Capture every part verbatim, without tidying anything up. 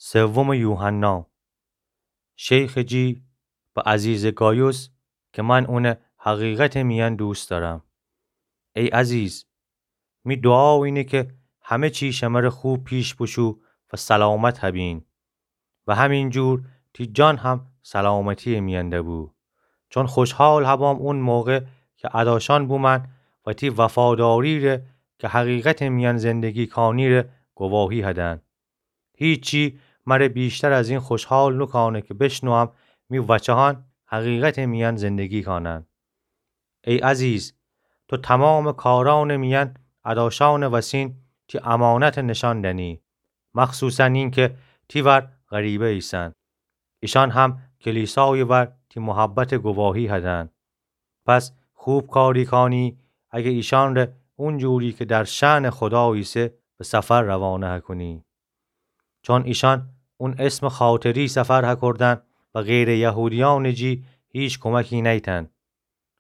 سوم یوحنا. شیخ جی به عزیز گایوس که من اونه حقیقت میان دوست دارم. ای عزیز، می دوعا اینه که همه چی شمره خوب پیش بشو و سلامت هبین. و همین جور تی جان هم سلامتی میان دبو. چون خوشحال هبام اون موقع که اداشان بومن و تی وفاداری ره که حقیقت میان زندگی کانی ره گواهی هدن. هیچی مره بیشتر از این خوشحال نوکانه که بشنوم می وچهان حقیقت میان زندگی کانن. ای عزیز، تو تمام کاران میان اداشان وسین تی امانت نشان دنی، مخصوصاً این که تی ور غریبه ایسن. ایشان هم کلیسای ور تی محبت گواهی هدن. پس خوب کاری کانی اگه ایشان ره اون جوری که در شأن خدا ایسه به سفر روانه هکونی. چون ایشان اون اسم خاطری سفر هکردن و غیر یهودیان جی هیچ کمکی نیتن.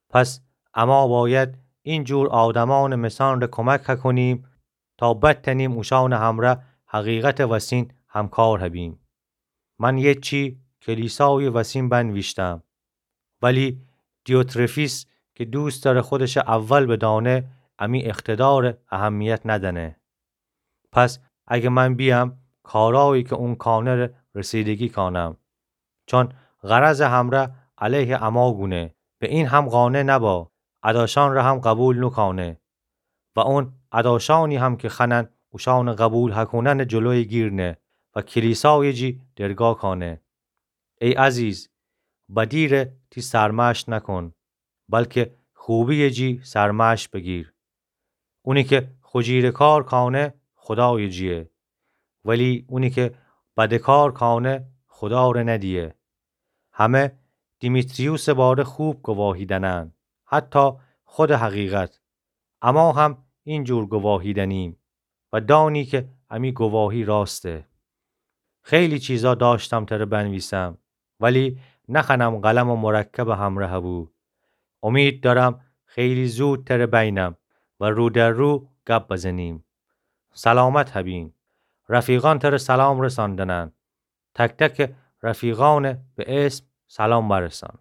پس اما باید این جور آدمان مثان ره کمک هکونیم تا بتنیم اوشان همره حقیقت وسین همکار هبیم. من یه چی کلیسای وسین بنویشتم، ولی دیوترفیس که دوست داره خودش اول بدانه، امی اقتدار اهمیت ندنه. پس اگه من بیام کارایی که اون کانه ره رسیدگی کانم، چون غرض همره علیه اما گونه، به این هم قانع نبا، اداشان ره هم قبول نوکانه. و اون اداشانی هم که خنن اوشان قبول هکونن جلوی گیرنه و کلیسای جی درگا کانه. ای عزیز، بدی ره تی سرمشق نکن، بلکه خوبی جی سرمشق بگیر. اونی که خو جیره کار کانه خدای جیه، ولی اونی که بد کار کانه خدا ره ندیه. همه دیمیتریوس باره خوب گواهی دنن، حتی خود حقیقت. اما هم این جور گواهی دنیم و دانی که امی گواهی راسته. خیلی چیزا داشتم تره بنویسم، ولی نخنم قلم و مرکب همره هبو. امید دارم خیلی زود تره بینم و رو در رو گپ بزنیم. سلامت هبین. رفیقان تره سلام رساندنن. تک تک رفیقان به اسم سلام برسان.